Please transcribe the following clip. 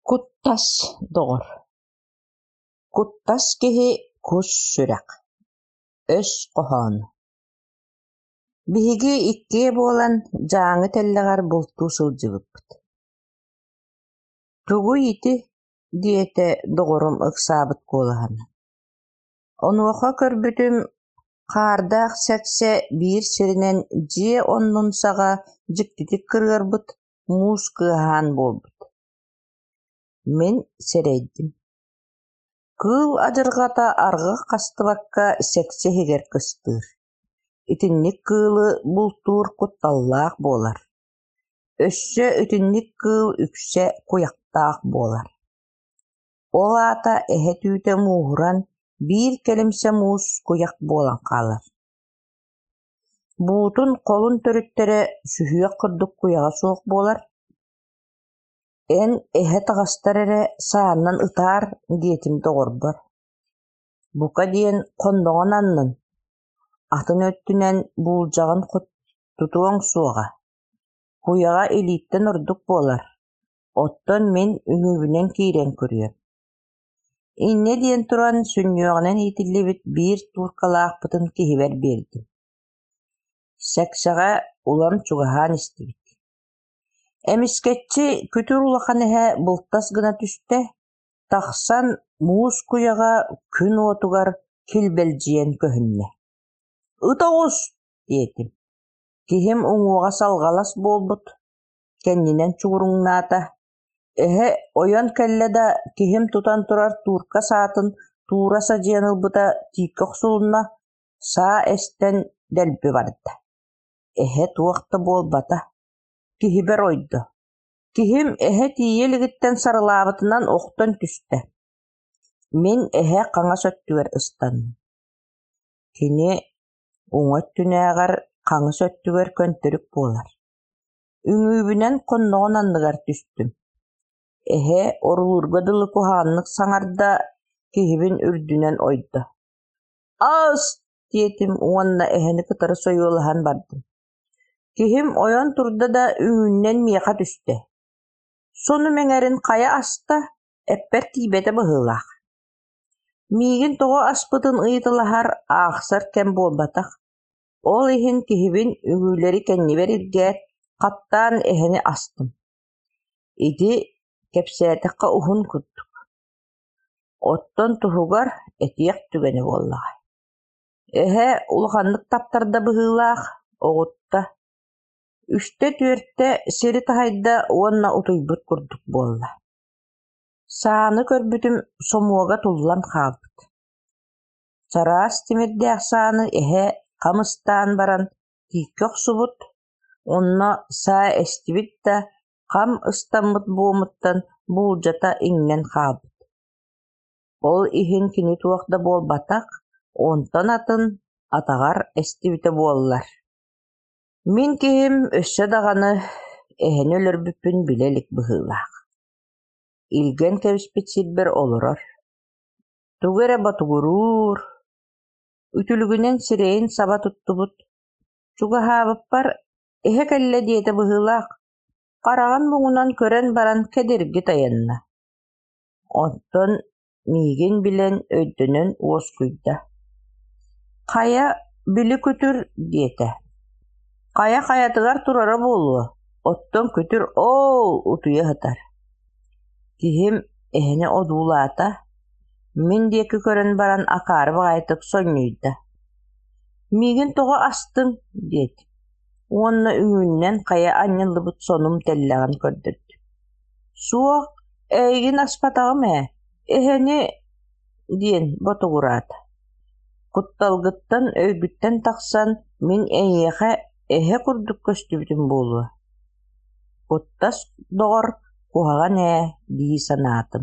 Куттас доҕор Куттас киһи кус сүрэх, өс хоһооно Биһиги иккиэ буолан Дьааҥы тэллэҕэр бултуу сылдьыбыппыт. «Тугуй ити?» диэтэ доҕорум ыксаабыт куолаһынан. Онуоха көрбүтүм, хаардаах сэксэ биир сиринэн дьиэ оннун саҕа дьиктитик кырыарбыт, муус кыаһаан буолбут. Мин сэрэйдим: кыыл адьырҕата арҕах хастыбакка сэксэ иһигэр кыстыыр, итинник кыылы бултуур кутталлаах буолар. Өссө итинник кыыл үксэ куйахтаах буолар. Ол аата эһэ түүтэ мууһуран, биир кэлимсэ муус куйах буолан хаалар. Буутун холун төрүттэрэ сүһүөх курдук куйаҕа суох буолар. «Эн эһэ таҕыстар эрэ саанан ытаар» диэтим доҕорбор. Бука диэн хонноҕун аннын, атын өттүнэн буулдьаҕын тутуоҥ суоҕа, куйаҕа илииттэн ордук буолар, оттон мин үҥүүбүнэн киирэн көрүөм. Инньэ диэн туран сүнньүөҕүнэн иитиллибит биир тууркалаахпытын киһибэр биэрдим. Сэксэҕэ улам чугаһаан истибит. Эмискэччи күтүр улахан эһэ былтас гына түстэ, тахсан муус куйаҕа күн уотугар килбэлдьийэн көһүннэ. «Ыт оҕус!» диэтим. Киһим уҥуоҕа салҕалас буолбут, кэннинэн чугуруҥнаата. Эһэ ойон кэллэ да, киһим тутан турар туурка саатын туура садьыйан ылбыта тииккэ охсулунна, саа эстэн дэлби барда. Эһэ туох да буолбата, киһибэр ойдо. Киһим эһэ тиийэ илигиттэн сарылаабытынан охтон түстэ. Мин эһэ хаҥас өттүгэр ыстанным. Кини уҥа өттүнээҕэр хаҥас өттүгэр көнтөрүк буолар. Үҥүүбүнэн хонноҕун анныгар түстүм. Эһэ орулуурга дылы куһаҕаннык саҥарда, киһибин үрдүнэн ойдо. «Ас!» диэтим уонна эһэни кытары сойуолаһан бардым. Киһим ойон турда да үҥүүнэн миэхэ түстэ. Сонум эҥэрин хайа аста, эппэр тиийбэтэ быһыылаах. Миигин тоҕо аспытын ыйыталаһар, аахсар кэм буолбатах. Ол иһин киһибин үҥүүлэри кэннибэр илгээт, хаттаан эһэни астым. Ити кэпсээтэххэ уһун курдук. Оттон туһугар этиэх түгэнэ буоллаҕа. Эһэ улаханнык таптарда быһыылаах, оҕутта. Үстэ-түөртэ сири таһыйда уонна утуйбут курдук буолла. Сааны көрбүтүм сомуога туллан хаалбыт. Чараас тимирдээх сааны эһэ хам ыстаан баран тииккэ охсубут, онно саа эстибит да, хам ыстаммыт буомуттан буулдьата иҥнэн хаалбыт. Ол иһин кини туох да буолбатах, онтон атын атаҕар эстибитэ буоллар. Мин киһим өссө даҕаны эһэни өлөрбүппүн билэ илик быһыылаах. Илгэн кэбиспит сирбэр олорор, тугу эрэ ботугуруур, үтүлүгүнэн сирэйин саба туттубут. Чугаһаабыппар эһэ кэллэ диэтэ быһыылаах, хараҕын муҥунан көрөн баран кэдирги тайанна. Оттон миигин билэн, өйдөнөн уоскуйда: «Хайа, били күтүр» диэтэ. «Хайа хайатыгар турара буолуо, оттон күтүр оол утуйа сытар». Киһим эһэни одуулаата, мин диэки көрөн баран акаары баҕайытык сонньуйда: «Миигин тоҕо астыҥ?» диэтим уонна үҥүүнэн хайа анньыллыбыт сонум тэллэҕин көрдөрдүм. «Суох, эйигин аспатаҕым ээ, эһэни» диэн ботугураата. «Кутталгыттан өйгүттэн тахсан мин эйиэхэ эһэ курдук көстүбүтүм буолуо. Куттас доҕор куһаҕан ээ дии санаатым.